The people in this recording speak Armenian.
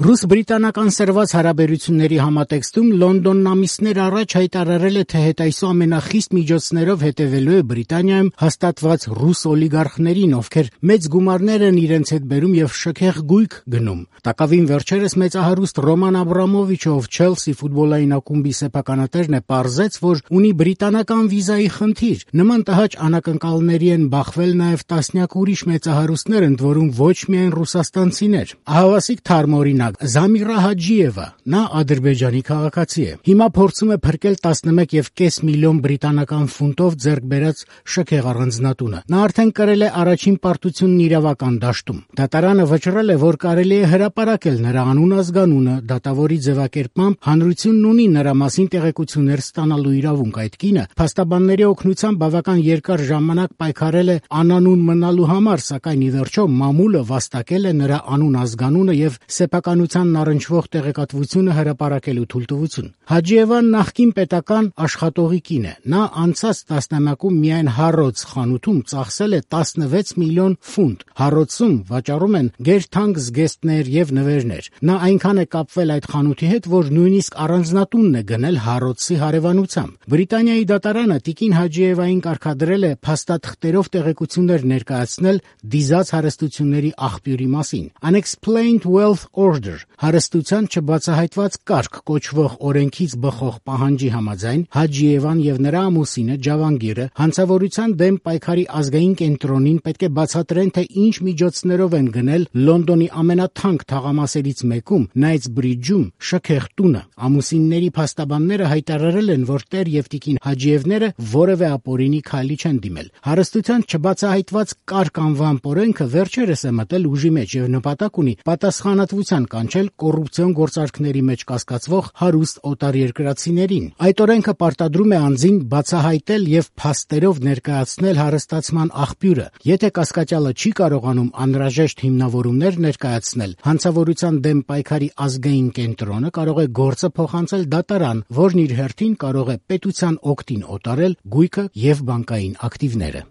Ռուս-բրիտանական սրված հարաբերությունների համատեքստում Լոնդոնն ամիսներ առաջ հայտարարել է, թե հետայսու ամենախիստ միջոցներով հետևելու է Բրիտանիայում հաստատված ռուս օլիգարխներին, ովքեր մեծ գումարներ են իրենց հետ բերում եւ շքեղ գույք գնում։ Տակավին վերջերս մեծահարուստ Ռոման Աբրամովիչը, ով Չելսի ֆուտբոլային ակումբի սեփականատերն է, պարզեց, որ ունի բրիտանական վիզայի խնդիր։ Նման տհաճ անակնկալների են բախվել նաեւ տասնյակ ուրիշ մեծահարուստներ, ընդ որում ոչ միայն ռուսաստանցիներ։ Ահավասիկ թարմ օրինակ Զամիրա Հաջիևը, նա Ադրբեջանի քաղաքացի է։ Հիմա փորձում է փրկել 11.5 միլիոն բրիտանական ֆունտով ձեռք բերած շքեղ առանձնատունը։ Նա արդեն կրել է առաջին պարտությունն իրավական դաշտում։ Դատարանը վճռել է, որ կարելի է հրապարակել նրա անուն-ազգանունը, դատավորի ձևակերպմամբ հանրությունն ունի նրա մասին տեղեկություններ ստանալու իրավունք։ Այդ կինը փաստաբանների օգնությամբ բավական երկար ժամանակ պայքարել է անանուն մնալու համար, սակայն ի վերջո մամուլը վաստակել է նրա անուն-ազգանունը եւ սեփականությանն առնչվող տեղեկատվությունը հրապարակելու թույլտվություն։ Հաջիևան նախկին պետական աշխատողի կին է։ Նա անցած տասնամյակում միայն Հարրոդս խանութում ծախսել է 16 միլիոն ֆունտ։ Հարրոդսում վաճառում են գերթանկ զգեստներ եւ նվերներ։ Նա այնքան է կապվել այդ խանութի հետ, որ նույնիսկ առանձնատունն է գնել Հարրոդսի հարևանությամբ։ Բրիտանիայի դատարանը տիկին Հաջիևային կարգադրել է փաստաթղթերով տեղեկություններ ներկայացնել դիզած հարստությունների աղբյուրի մասին։ Unexplained Wealth Order հարստության չբացահայտված կարգ կոչվող օրենքից բխող պահանջի համաձայն Հաջիևան եւ նրա ամուսինը Ջավանգիրը հանցավորության դեմ պայքարի ազգային կենտրոնին պետք է բացատրեն, թե ինչ միջոցներով են գնել Լոնդոնի ամենաթանկ թաղամասերից մեկում Knightsbridge-ում շքեղ տունը։ Ամուսինների փաստաբանները հայտարարել են, որ տեր եւ տիկին Հաջիևները որևէ ապօրինի քայլի չեն դիմել։ Հարստության չբացահայտված կարգ անվամբ օրենքը վերջերս է մտել ուժի մեջ եւ նպատակ ունի պատասխանատվության կանչել կոռուպցիոն գործարքների մեջ կասկածվող հարուստ օտարերկրացիներին։ Այդ օրենքը պարտադրում է անձին բացահայտել եւ փաստերով ներկայացնել հարստացման աղբյուրը։ Եթե կասկածյալը չի կարողանում անհրաժեշտ հիմնավորումներ ներկայացնել, հանցավորության դեմ պայքարի ազգային կենտրոնը կարող է գործը փոխանցել դատարան, որն իր հերթին կարող է պետության օգտին օտարել գույքը եւ բանկային ակտիվները։